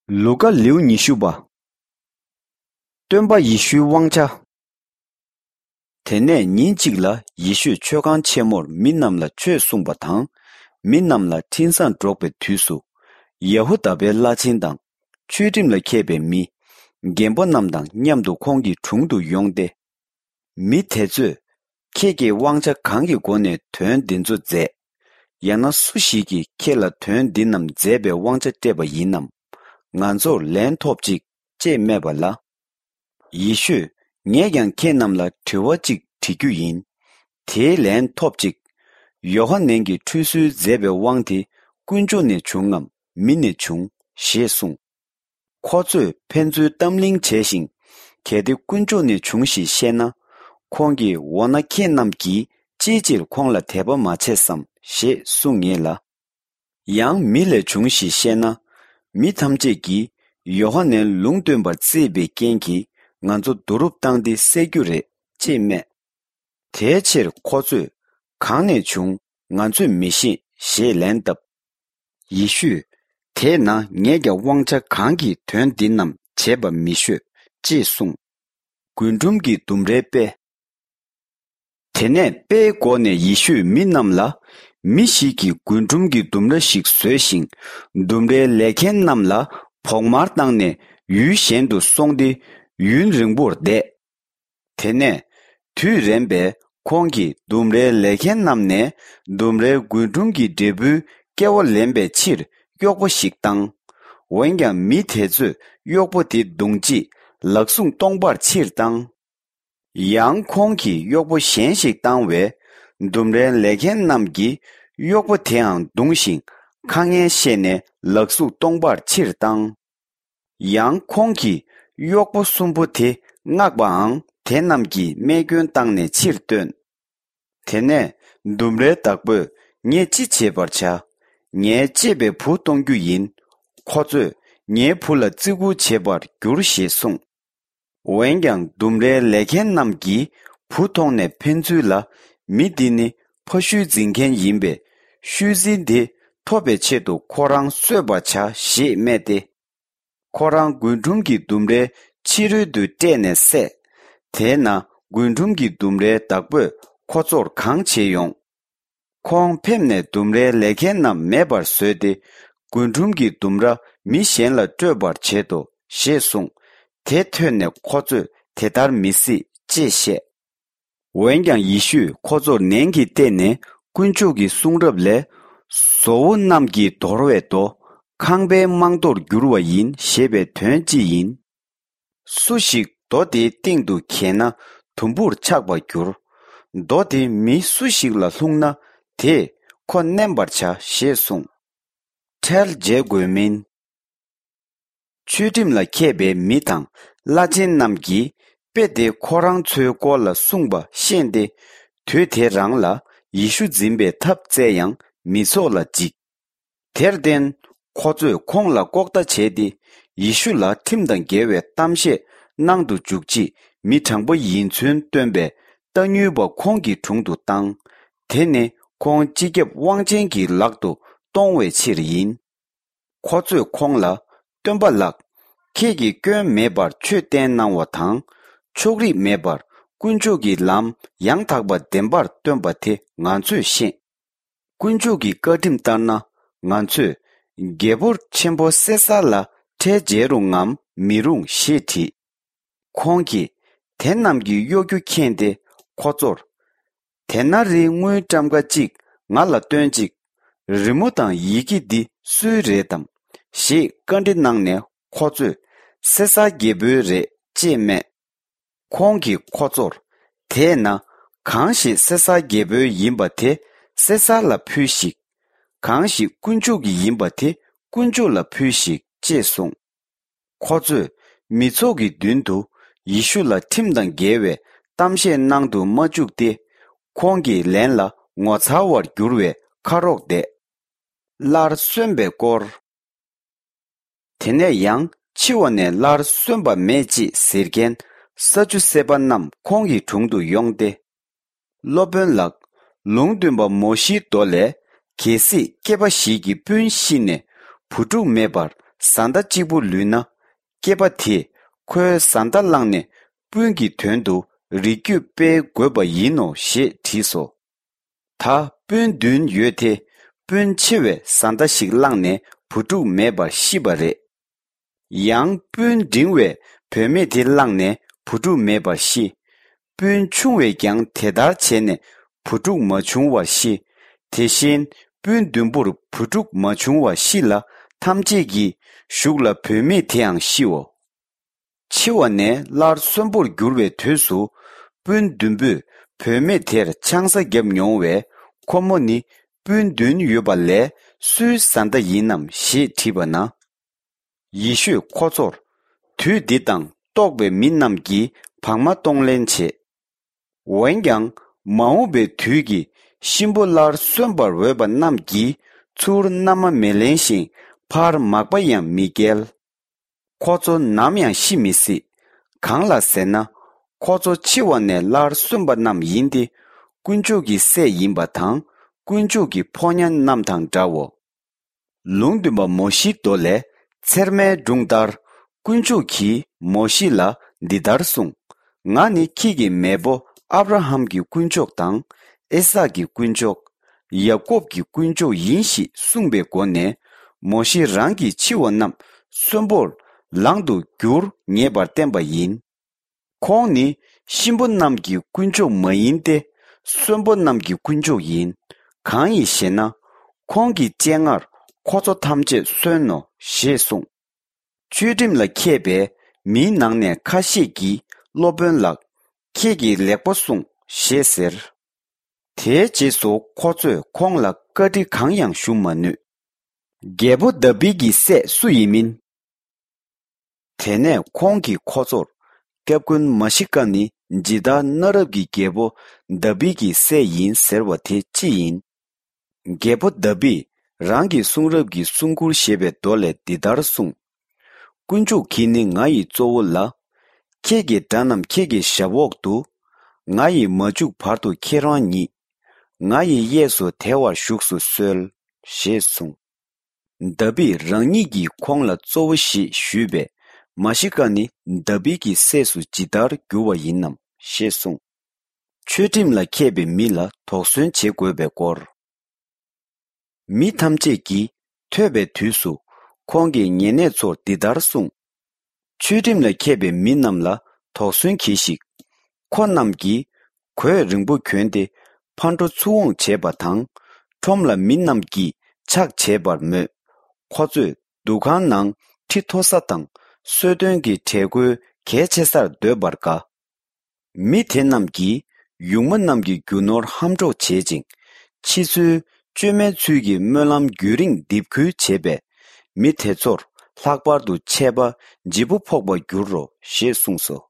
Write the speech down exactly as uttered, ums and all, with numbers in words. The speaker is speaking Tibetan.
ལུ་ཀ་ལེའུ་ཉི་ཤུ་པ། སྟོན་པ་ཡེ་ཤུའི་དབང་ཆ། དེ་ནས་ཉིན་གཅིག་ལ་ཡེ་ཤུས་མཆོད་ཁང་ཆེན་མོར་མི་རྣམས་ལ་ཆོས་གསུངས་པ་དང་། མི་རྣམས་ལ་འཕྲིན་བཟང་སྒྲོག་པའི་དུས་སུ། ཡ་ཧུ་དཱ་པའི་བླ་ཆེན་དང་། ཆོས་ཁྲིམས་ལ་མཁས་པའི་མི། རྒན་པོ་རྣམས་དང་མཉམ་དུ་ཁོང་གི་དྲུང་དུ་ཡོང་སྟེ། མི་དེ་ཚོས། ཁྱེད་ཀྱིས་དབང་ཆ་གང་གི་སྒོ་ནས་དོན་འདི་ཚོ་མཛད། ཡང་ན་སུ་ཞིག་གིས་ཁྱེད་ལ་དོན་འདི་རྣམས་མཛད་པའི་དབང་ཆ་སྤྲད་པ་ཡིན་ནམ། ང་ཚོར་ལན་ཐོབས་ཅིག་ཅེས་སྨྲས་པ་ལ། ཡེ་ཤུས། ངས་ཀྱང་ཁྱེད་རྣམས་ལ་དྲི་བ་གཅིག་དྲི་རྒྱུ་ཡིན། དེའི་ལན་ཐོབས་ཅིག་ཡོ་ཧ་ནན་གྱིས་ཁྲུས་གསོལ་མཛད་པའི་དབང་དེ་དཀོན་མཆོག་ནས་བྱུང་ངམ་མི་ནས་བྱུང་ཞེས་གསུངས། ཁོ་ཚོས་ཕན་ཚུན་གཏམ་གླེང་བྱས་ཤིང་། གལ་ཏེ་དཀོན་མཆོག་ནས་བྱུང་ཞེས་བཤད་ན། ཁོང་གིས་འོ་ན་ཁྱེད་རྣམས་ཀྱིས་ཅིའི་ཕྱིར་ཁོང་ལ་དད་པ་མ་བྱས་སམ་ཞེས་གསུང་ངེས་ལ། ཡང་མི་ལས་བྱུང་ཞེས་བཤད་ན། མི་ཐམས་ཅད་ཀྱིས་ཡོ་ཧ་ནན་ལུང་སྟོན་པར་བརྩིས་པའི་རྐྱེན་གྱིས་ང་ཚོ་བསྡུ་རུབ་བཏང་སྟེ་བསད་རྒྱུ་རེད་ཅེས་སྨྲས། དེའི་ཕྱིར་ཁོ་ཚོས་གང་ནས་བྱུང་ང་ཚོས་མི་ཤེས་ཞེས་ལན་བཏབ། ཡེ་ཤུས། དེས་ན་ངས་ཀྱང་དབང་ཆ་གང་གིས་དོན་འདི་རྣམས་བྱེད་པ་མི་ཤོད་ཅེས་གསུངས། རྒུན་འབྲུམ་གྱི་ལྡུམ་རའི་དཔེ། དེ་ནས་དཔེའི་སྒོ་ནས་ཡེ་ཤུས་མི་རྣམས་ལ། མི་ཞིག་གིས་རྒུན་འབྲུམ་གྱི་ལྡུམ་ར་ཞིག་བཟོས་ཤིང་། ལྡུམ་རའི་ལས་མཁན་རྣམས་ལ་བོགས་མར་བཏང་ནས་ཡུལ་གཞན་དུ་སོང་སྟེ་ཡུན་རིང་པོར་བསྡད། དེ་ནས་དུས་རན་པས་ཁོང་གིས་ལྡུམ་རའི་ལས་མཁན་རྣམས་ནས་ལྡུམ་རའི་རྒུན་འབྲུམ་གྱི་འབྲས་བུའི་སྐལ་བ་ལེན་པའི་ཕྱིར་གཡོག་པོ་ཞིག་བཏང་། འོན་ཀྱང་མི་དེ་ཚོས་གཡོག་པོ་དེ་བརྡུང་རྗེས་ལག་ཟུང་སྟོང་པར་ཕྱིར་བཏང་། ཡང་ཁོང་གིས་གཡོག་པོ་གཞན་ཞིག་བཏང་བས། ལྡུམ་རའི་ལས་མཁན་རྣམས་ཀྱིས་གཡོག་པོ་དེའང་བརྡུངས་ཤིང་། ཁ་ངན་བཤད་ནས་ལག་ཟུང་སྟོང་པར་ཕྱིར་བཏང་། ཡང་ཁོང་གིས་གཡོག་པོ་གསུམ་པོ་དེ་མངགས་པའང་དེ་རྣམས་ཀྱིས་རྨས་སྐྱོན་བཏང་ནས་ཕྱིར་བཏོན། དེ་ནས་ལྡུམ་རའི་བདག་པོས་ངས་ཅི་བྱེད་པར་བྱ། ངའི་གཅེས་པའི་བུ་གཏོང་རྒྱུ་ཡིན། ཁོ་ཚོས་ངའི་བུ་ལ་བརྩི་བཀུར་བྱེད་པར་འགྱུར་ཞེས་གསུངས། འོན་ཀྱང་ལྡུམ་རའི་ལས་མཁན་རྣམས་ཀྱིས་བུ་མཐོང་ནས་ཕན་ཚུན་ལ། མི་འདི་ནི་ཕ་ཤུལ་འཛིན་མཁན་ཡིན་པས། ཤུལ་འཛིན་དེ་ཐོབ་པའི་ཆེད་དུ་ཁོ་རང་གསོད་པར་བྱ་ཞེས་སྨྲས་ཏེ། ཁོ་རང་རྒུན་འབྲུམ་གྱི་ལྡུམ་རའི་ཕྱི་རོལ་དུ་བསྐྲད་ནས་བསད། དེས་ན་རྒུན་འབྲུམ་གྱི་ལྡུམ་རའི་བདག་པོས་ཁོ་ཚོར་གང་བྱེད་ཡོང་། ཁོང་ཕེབས་ནས་ལྡུམ་རའི་ལས་མཁན་རྣམས་མེད་པར་བཟོས་ཏེ། རྒུན་འབྲུམ་གྱི་ལྡུམ་ར་མི་གཞན་ལ་སྤྲོད་པར་བྱེད་དོ་ཞེས་གསུངས། དེ་ཐོས་ནས་ཁོ་ཚོས་དེ་ལྟར་མི་སྲིད་ཅེས་བཤད། འོན་ཀྱང་ཡེ་ཤུས་ཁོ་ཚོར་ནན་གྱིས་བལྟས་ནས། དཀོན་མཆོག་གི་གསུང་རབ་ལས། བཟོ་བོ་རྣམས་ཀྱིས་དོར་བའི་རྡོ། ཁང་པའི་རྨང་རྡོར་འགྱུར་བ་ཡིན་ཞེས་པའི་དོན་ཅི་ཡིན། སུ་ཞིག་རྡོ་དེའི་སྟེང་དུ་འགྱེལ་ན་དུམ་བུར་ཆག་པར་འགྱུར། རྡོ་དེ་མི་སུ་ཞིག་ལ་ལྷུང་ན་དེས་ཁོ་མནན་པར་བྱ་ཞེས་གསུངས། ཁྲལ་འཇལ་དགོས་མིན། ཆོས་ཁྲིམས་ལ་མཁས་པའི་མི་དང་བླ་ཆེན་རྣམས་ཀྱིས་དཔེ་དེ་ཁོ་རང་ཚོའི་སྐོར་ལ་གསུངས་པ་ཤེས་ཏེ། དུས་དེ་རང་ལ་ཡེ་ཤུ་འཛིན་པའི་ཐབས་བཙལ་ཡང་མི་ཚོགས་ལ་འཇིགས། དེར་བརྟེན། ཁོ་ཚོས་ཁོང་ལ་ལྐོག་ལྟ་བྱས་ཏེ། ཡེ་ཤུ་ལ་ཁྲིམས་དང་འགལ་བའི་གཏམ་བཤད་གནང་དུ་འཇུག་ཆེད་མི་དྲང་པོ་ཡིན་ཚུལ་སྟོན་པའི་རྟ་དངུལ་པ་ཁོང་གི་དྲུང་དུ་བཏང་། དེ་ནི་ཁོང་སྤྱི་ཁྱབ་དབང་ཆེན་གྱི་ལག་ཏུ་གཏོང་བའི་ཕྱིར་ཡིན། ཁོ་ཚོས་ཁོང་ལ། སྟོན་པ་ལགས། ཁྱེད་ཀྱིས་སྐྱོན་མེད་པར་ཆོས་བསྟན་གནང་བ་དང་། ཕྱོགས་རིས་མེད་པར་དཀོན་མཆོག་གི་ལམ་ཡང་དག་པ་བདེན་པར་སྟོན་པ་དེ་ང་ཚོས་ཤེས། དཀོན་མཆོག་གི་བཀའ་ཁྲིམས་ལྟར་ན། ང་ཚོས་རྒྱལ་པོ་ཆེན་པོ་སེ་སར་ལ་ཁྲལ་འཇལ་རུང་ངམ་མི་རུང་ཞེས་དྲིས། ཁོང་གིས་དེ་རྣམས་ཀྱི་གཡོ་སྒྱུ་མཁྱེན་ཏེ་ཁོ་ཚོར། དེ་ན་རིའི་དངུལ་ཊམ་ཀ་གཅིག་ང་ལ་སྟོན་ཅིག། རི་མོ་དང་ཡི་གེ་འདི་སུའི་རེད་དམ། ཞེས་བཀའ་འདྲི་གནང་ནས་ཁོ་ཚོས། སེ་སར་རྒྱལ་པོའི་རེད་ཅེས་སྨྲས། ཁོང་གིས་ཁོ་ཚོར། དེས་ན། གང་ཞིག་སེ་སར་རྒྱལ་པོའི་ཡིན་པ་དེ་སེ་སར་ལ་ཕུལ་ཞིག། གང་ཞིག་དཀོན་མཆོག་གི་ཡིན་པ་དེ་དཀོན་མཆོག་ལ་ཕུལ་ཞིག་ཅེས་གསུངས། ཁོ་ཚོས་མི་ཚོགས་ཀྱི་མདུན་དུ་ཡེ་ཤུ་ལ་ཁྲིམས་དང་འགལ་བའི་གཏམ་བཤད་གནང་དུ་མ་བཅུག་སྟེ། ཁོང་གི་ལན་ལ་ངོ་མཚར་བར་འགྱུར་བའི་ཁ་རོག་བསྡད། སླར་གསོན་པའི་སྐོར། དེ་ནས་ཡང་འཆི་བ་ནས་སླར་གསོན་པ་མེད་ཅེས་ཟེར་མཁན་ས་ཅུ་སེ་པ་རྣམས་ཁོང་གི་དྲུང་དུ་ཡོང་སྟེ། སློབ་དཔོན་ལགས། ལུང་སྟོན་པ་མོ་ཤིའི་མདོ་ལས། གལ་སྲིད་སྐྱེས་པ་ཞིག་གི་སྤུན་ཤི་ནས་བུ་ཕྲུག་མེད་པར་ བཟའ་ཟླ་གཅིག་པུ་ལུས་ན། སྐྱེས་པ་དེས་ཁོའི་བཟའ་ཟླ་བླངས་ནས་སྤུན་གྱི་དོན་དུ་རིགས་རྒྱུད་སྤེལ་དགོས་པ་ཡིན་ནོ་ཞེས་དྲིས་སོ། ད་སྤུན་བདུན་ཡོད་དེ། སྤུན་ཆེ་བས་བཟའ་ཟླ་ཞིག་བླངས་ནས་བུ་ཕྲུག་མེད་པར་ཤི་བ་རེད། ཡང་སྤུན་འབྲིང་བས་བུད་མེད་དེ་བླངས་ནས་བུ་ཕྲུག་མེད་པར་ཤི། སྤུན་ཆུང་བས་ཀྱང་དེ་ལྟར་བྱས་ནས་བུ་ཕྲུག་མ་བྱུང་བར་ཤི། དེ་བཞིན་སྤུན་བདུན་པོར་བུ་ཕྲུག་མ་བྱུང་བར་ཤི་ལ། ཐམས་ཅད་ཀྱི་གཞུག་ལ་བུད་མེད་དེའང་ཤིའོ། འཆི་བ་ནས་སླར་གསོན་པོར་འགྱུར་བའི་དུས་སུ། སྤུན་བདུན་པོས་བུད་མེད་དེར་ཆང་ས་བརྒྱབ་མྱོང་བས། ཁོ་མོ་ནི་སྤུན་བདུན་ཡོད་པ་ལས་སུའི་བཟའ་ཟླ་ཡིན་ནམ་ཞེས་དྲིས་པ་ན། ཡེ་ཤུས་ཁོ་ཚོར། དུས་འདི་དང་ལྟོགས་པའི་མི་རྣམས་ཀྱིས་བག་མ་གཏོང་ལེན་བྱེད། འོན་ཀྱང་མ་འོངས་པའི་དུས་ཀྱི་གཤིན་པོ་སླར་གསོན་པར་འོས་པ་རྣམས་ཀྱིས་ཚུར་མནའ་མ་མི་ལེན་ཞིང་ཕར་མག་པ་ཡང་མི་བསྐྱལ། ཁོ་ཚོ་ནམ་ཡང་ཤི་མི་སྲིད། གང་ལ་ཟེར་ན། ཁོ་ཚོ་འཆི་བ་ནས་སླར་གསོན་པ་རྣམས་ཡིན་ཏེ། དཀོན་མཆོག་གི་སྲས་ཡིན་པ་དང་། དཀོན་མཆོག་གི་ཕོ་ཉ་རྣམས་དང་འདྲའོ། ལུང་སྟོན་པ་མོ་ཤེའི་མདོ་ལས། ཚེར་མའི་སྒྲུང་ལྟར། དཀོན་མཆོག་གིས་མོ་ཤེ་ལ་འདི་ལྟར་གསུངས། ང་ནི་ཁྱེད་ཀྱི་མེས་པོ་ཨབ་ར་ཧམ་གྱི་དཀོན་མཆོག་དང་། ཨི་སཱག་གི་དཀོན་མཆོག་ཡ་ཀོབ་ཀྱི་དཀོན་མཆོག་ཡིན་ཞེས་གསུངས་པའི་སྒོ་ནས། མོ་ཤེ་རང་གི་འཆི་བ་རྣམས་གསོན་པོར་ལང་དུ་འགྱུར་ངེས་པར་བསྟན་པ་ཡིན། ཁོང་ནི་གཤིན་པོ་རྣམས་ཀྱི་དཀོན་མཆོག་མ་ཡིན་ཏེ། གསོན་པོ་རྣམས་ཀྱི་དཀོན་མཆོག་ཡིན། གང་ཡིན་ཞེ་ན། ཁོང་གི་སྤྱན་སྔར་ཁོ་ཚོ་ཐམས་ཅད་གསོན་ནོ་ཞེས་གསུངས། ཆོས་ཁྲིམས་ལ་མཁས་པའི་མིའི་ནང་ནས་ཁ་ཤས་ཀྱིས། སློབ་དཔོན་ལགས། ཁྱེད་ཀྱིས་ལེགས་པོ་གསུངས་ཞེས་ཟེར། དེའི་རྗེས་སུ་ཁོ་ཚོས་ཁོང་ལ་བཀའ་འདྲི་གང་ཡང་ཞུ་མ་ནུས། རྒྱལ་པོ་དཱ་བིད་ཀྱི་སྲས་སུ་ཡིན་མིན། དེ་ནས་ཁོང་གིས་ཁོ་ཚོར། སྐྱབས་མགོན་མཱ་ཤི་ཀ་ནི་ཇི་ལྟར་གནའ་རབས་ཀྱི་རྒྱལ་པོ་དཱ་བིད་ཀྱི་སྲས་ཡིན་ཟེར་བ་དེ་ཅི་ཡིན། རྒྱལ་པོ་དཱ་བིད་རང་གི་གསུང་རབ་ཀྱི་གསུང་མགུར་ཞེས་པའི་མདོ་ལས་འདི་ལྟར་གསུངས། དཀོན་མཆོག་གིས་ནི་ང་ཡི་གཙོ་བོ་ལ། ཁྱེད་ཀྱི་དགྲ་རྣམས་ཁྱེད་ཀྱི་ཞབས་འོག་ཏུ། ང་ཡིས་མ་བཅུག་བར་དུ་ཁྱེད་རང་ཉིད། ང་ཡི་གཡས་སུ་དལ་བར་བཞུགས་སུ་གསོལ། ཞེས་གསུངས། དཱ་བིད་རང་ཉིད་ཀྱིས་ཁོང་ལ་གཙོ་བོ་ཞེས་ཞུས་པས། མཱ་ཤི་ཀ་ནི་དཱ་བིད་ཀྱི་སྲས་སུ་ཇི་ལྟར་འགྱུར་བ་ཡིན་ནམ་ཞེས་གསུངས། ཆོས་ཁྲིམས་ལ་མཁས་པའི་མི་ལ་དོགས་ཟོན་བྱེད་དགོས་པའི་སྐོར། མི་ཐམས་ཅད་ཀྱིས་ཐོས་པའི་དུས་སུ། ཁོང་གིས་ཉེ་གནས་ཚོར་འདི་ལྟར་གསུངས། ཆོས་ཁྲིམས་ལ་མཁས་པའི་མི་རྣམས་ལ་དོགས་ཟོན་གྱིས་ཤིག། ཁོ་རྣམས་ཀྱིས་གོས་རིང་པོ་གྱོན་ཏེ། ཕར་འགྲོ་ཚུར་འོང་བྱེད་པ་དང་། ཁྲོམ་ལ་མི་རྣམས་ཀྱིས་ཕྱག་བྱེད་པར་མོས། ཁོ་ཚོས་འདུ་ཁང་ནང་ཁྲི་མཐོ་ས་དང་། གསོལ་སྟོན་གྱི་གྲལ་མགོའི་གལ་ཆེ་སར་སྡོད་པར་དགའ། མི་དེ་རྣམས་ཀྱིས་ཡུགས་མ་རྣམས་ཀྱི་རྒྱུ་ནོར་ཧམ་འཕྲོག་བྱེད་ཅིང་། ཕྱི་ཚུལ་བཅོས་མའི་ཚུལ་གྱིས་སྨོན་ལམ་རྒྱུན་རིང་འདེབས་ཁུལ་བྱེད་པས། མི་དེ་ཚོར་ལྷག་པར་དུ་ཆད་པ་ལྗིད་པོ་ཕོག་པར་འགྱུར་རོ་ཞེས་གསུངས་སོ།